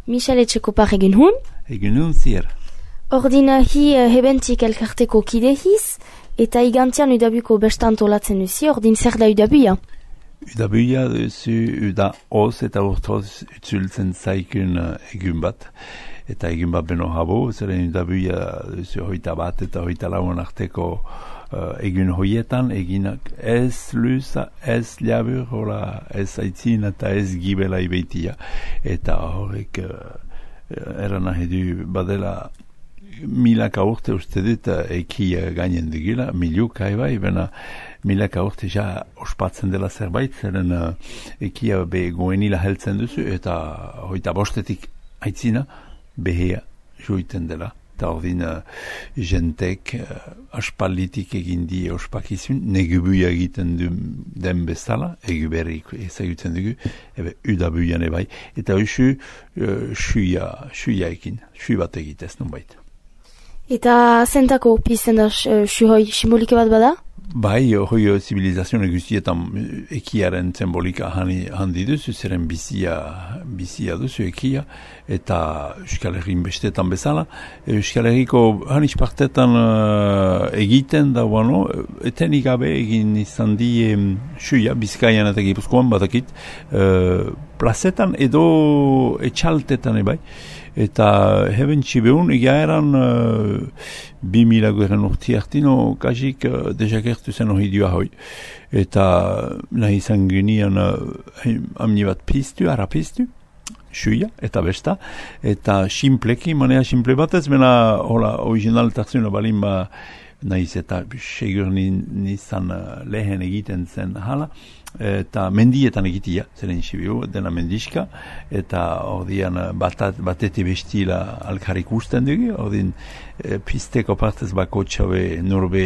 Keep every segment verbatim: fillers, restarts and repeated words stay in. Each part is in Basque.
Michel Etxekopar egin hun? Egin hun zier. Ordin hi hebentik elkarteko kidehiz, eta igantian udabuko besta antolatzen duzi, ordin zer da udabuia? Udabuia duzu uda oz eta urtoz utzultzen zaikun egun bat. Eta egun bat beno habo, zeren udabuia duzu hoita bat eta hoita lauan arteko uh, egun hoietan, eginak ez luza, ez labur, hola, ez aitzin eta ez gibela ibeitia. Eta horrek uh, eran nahi du badela milaka urte uste dut ekia gainen dugula, miluk haibai, bena milaka urte ja ospatzen dela zerbait, zeren uh, ekia be goenila heltzen duzu, eta hoita bostetik aitzina behea joiten dela. Eta ordin uh, jentek uh, aspalditik egin die ospakizun, negubuia egiten du den bezala, eguberrik ezagutzen dugu, ebe udabuian ebai, eta usu uh, suia, suia ekin, sui bat egitez nun baita. Eta zentako pizten da suhoi simbolike bat bada? Bai, hoi zibilizazione guztietan ekiaren simbolika handi duzu, zeren bizia, bizia duzu ekia, eta Euskal Herrin bestetan bezala. Euskal Herriko hanis partetan uh, egiten da, bueno, etenik gabe egin izan di um, suia, Bizkaian eta Gipuzkoan batakit, uh, plazetan edo etxaltetan ebai. Eta heben txibeun, egia eran uh, bi mila garen urti hartino, kasik uh, dejakertu zen hori dua hoi. Eta nahi izan genian uh, amni bat piztu, ara piztu, suia, eta besta. Eta simpleki, manea simple batez, mena hola, originaltarzuna balin ba, nahiz eta segur nizan uh, lehen egiten zen hala. Eta mendietan egitia, zeren sibiu, dena mendiska, eta ordian batat, bateti bestila alkarik usten dugu, ordin e, pisteko partez bako txabe nurbe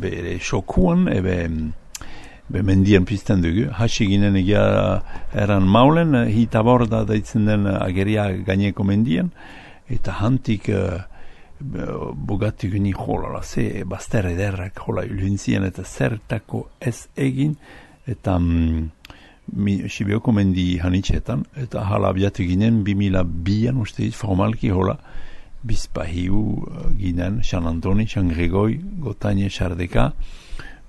bere xokuan, ebe be mendien pisten dugu. Hasi ginen egia eran maulen, hita borda daitzen den ageria gaineko mendien, eta hantik uh, bogatu gini jolala, ze bazter ederrak jola uluntzien, eta zertako ez egin, eta mm, Sibioko mendi hanitxetan, eta hala abiatu ginen, bi mila bian uste dit, formalki hola, bizpahiu uh, ginen, San Antoni, San Gregoi, Gotaine, Sardeka,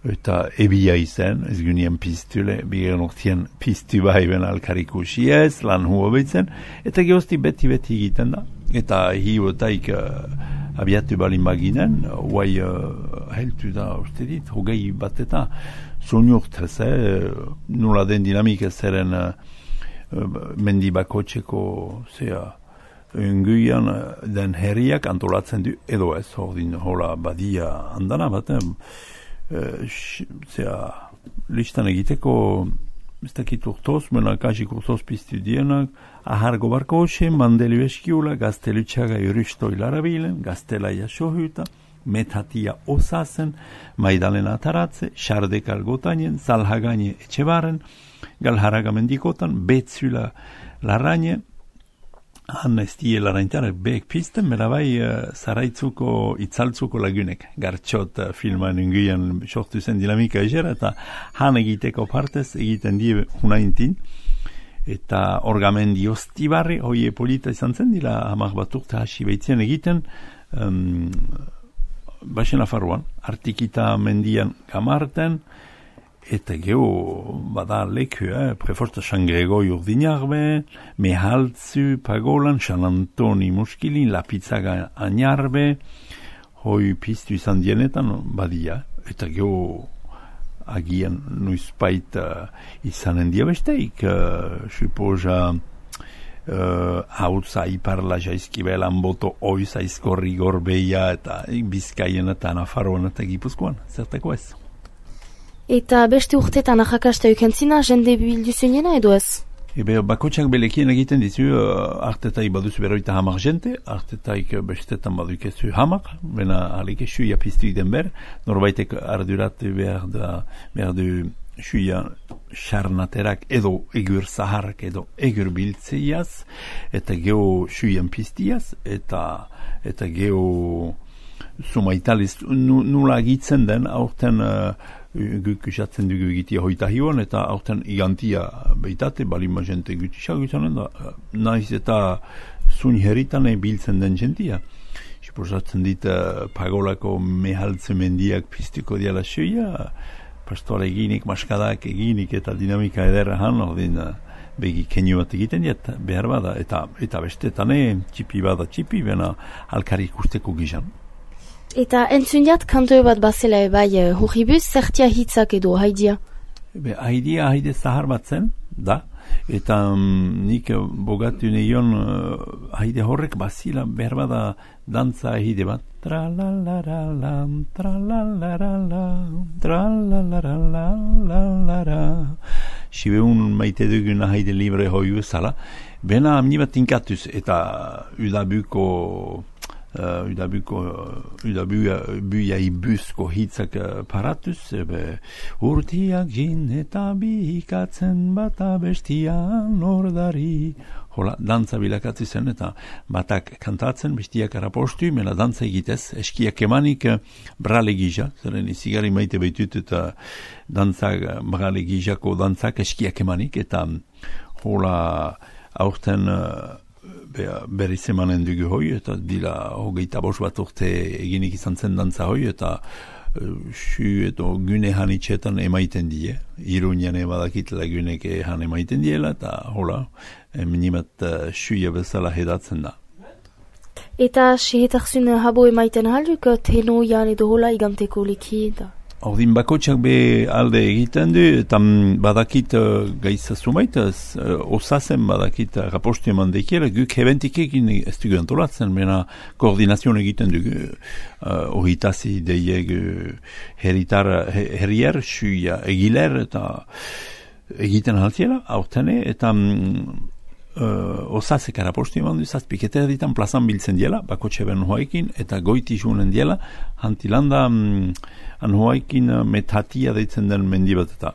eta ebia izen, ez gunien piztule, bigen ortien piztu bai ben alkarikusi ez, lan huo behitzen, eta gehozti beti-beti egiten da, eta hiuotaik uh, abiatu balin baginen, guai uh, heltu da uste dit, hogei bat eta soinurtez, eh, nula den dinamika zeren uh, mendi bakotxeko zea unguian uh, den herriak antolatzen du, edo ez, ordin hola badia andana bat, eh, uh, zea listan egiteko ez dakit urtoz, mena kasik urtoz piztu dienak, ahargo barko hoxen, mandeli beskiula, gaztelutxaga yuristo hilarabilen, gaztelaia sohuta, metatia osazen, maidalena ataratze, xardekal gotainen, zalhagane etxebaren, galharaga mendikotan, betzula larraine, han ez die larraintarak behek pizten, mera bai uh, zaraitzuko, itzaltzuko lagunek, gartxot uh, filman unguian sortu zen dinamika egera, eta han egiteko partez egiten die hunaintin, eta orgamendi ostibarri, hoie polita izan zen, dila hamak bat urte hasi behitzen egiten, um, Baxen afarruan, artikita mendian gamarten, eta geho bada leku, eh? Preforta San Gregoi urdinarbe, Mehaltzu pagolan, San Antoni muskilin, Lapitzaga añarbe, hoi piztu izan dienetan, badia, eta geho agian nuizpait uh, izanen dia besteik, uh, suposa Uh, hautza iparla jaizkibelan boto oiz aizkorri gorbeia eta Bizkaien eta Nafarroan eta Gipuzkoan, zertako ez. Eta beste urtetan ahakasta eukentzina, jende bildu zuenena edo ez? Ebe, bakotxak belekien egiten dizu, uh, artetai baduzu beroita hamar jente, artetaik bestetan badukezu hamar, bena alike suia piztu iden ber, norbaitek arduratu behar da, behar du suia xarnaterak edo egur zaharrak edo egur biltzeiaz, eta geho suian piztiaz, eta eta geho sumaitaliz, nula agitzen den, aurten uh, guk esatzen dugu egitea hoita hiuan, eta aurten igantia beitate, balima jente gutisak izanen da, nahiz eta zuin herritan biltzen den jentia. Siposatzen dit uh, pagolako mehaltze mendiak piztuko diala soia, pastola eginik, maskadak eginik eta dinamika ederra han, ordin uh, begi kenio bat egiten diet, behar bada, eta, eta bestetan txipi bada txipi, bena alkari ikusteko gizan. Eta entzun jat, kanto bat bazela bai hurribuz, zertia hitzak edo haidia? Be, haidia haide zahar bat zen, da, eta um, nik bogatu neion uh, haide horrek bazila behar bada dantza haide bat. Tra-la-la-la-la, tra-la-la-la-la, tra-la-la-la-la-la-la. Sibeun maite dugun haide libre hoiu zala, bena amni bat tinkatuz, eta udabuko Uh, udabuko uh, udabuia ibuzko hitzak uh, paratuz, ebe urtiak jin eta bihikatzen bata bestian ordari. Hola, dantza bilakatzi zen, eta batak kantatzen, bestiak arapostu, mela dantza egitez, eskiak emanik uh, brale gija, zeren izigari maite behitut, eta dantzak, brale gijako dantzak eskiak emanik, eta hola, aurten uh, berriz emanen dugu hoi, eta dira hogeita bos bat urte eginik izan zen dantza hoi, eta su edo gune hanitxetan emaiten die. Irunian ebadakitela gunek han emaiten diela, eta hola, minimat suia bezala hedatzen da. Eta sehetarzun habo emaiten halduk, tenoian edo hola iganteko leki da? Ordin bakotxak be alde egiten du, eta badakit uh, gaitza sumait, uh, osazen badakit uh, rapostu eman dekiela, guk hebentik egin ez dugu antolatzen, mena koordinazion egiten dugu, uh, ohitazi deieg uh, herritar, herrier, suia egiler, eta egiten haltiela, aurtene, eta um, uh, osazek rapostu eman du, zazpiketer ditan plazan biltzen diela, bakotxe ben hoaikin, eta goiti junen diela, hantilanda um, anhoaikin metatia deitzen den mendi bat, eta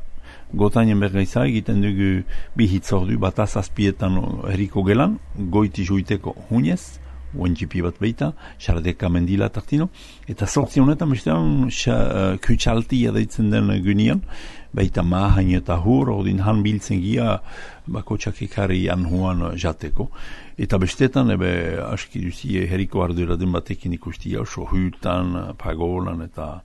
gotainen bergaiza egiten dugu bi hitzordu bat azazpietan herriko gelan, goiti juiteko hunez, uentxipi bat beita, xardeka mendila tartino, eta sortzi honetan bestean kutsaltia deitzen den gunian, baita mahain eta hur, ordin han biltzen gia bakotxak ekarri anhoan jateko. Eta bestetan, ebe, aski duzie herriko arduradun batekin ikustia, sohutan, pagolan, eta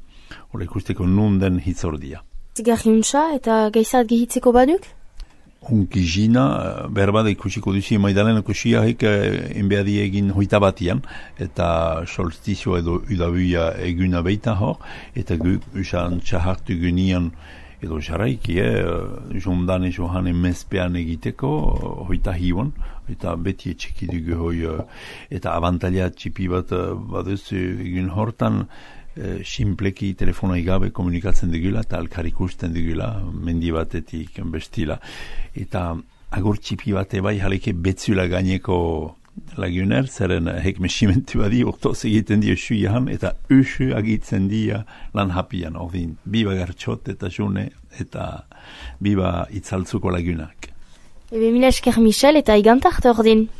hori ikusteko nunden hitzordia. Zigarriuntza eta gaizat gehitzeko baduk? Hunki jina, berbada ikusiko duzi maidalenako siahik enbeadi egin hoita batian, eta solstizio edo udabuia eguna beita hor, eta gu usan txahartu gunian edo jarraiki, eh, jondan ezo hanen mezpean egiteko, hoita hiuan, eta beti etxeki dugu hoi, eta abantalia txipi bat baduz egun hortan, E, simpleki telefona igabe komunikatzen dugula eta alkar ikusten dugula mendi batetik bestila, eta agur txipi bate bai haleke betzula gaineko laguner, zeren hek mesimentu badi urtoz egiten dio suian, eta usu agitzen dia lan hapian, ordin biba gartxot eta june eta biba itzaltzuko lagunak. Ebe mila esker Michel eta igantart ordin.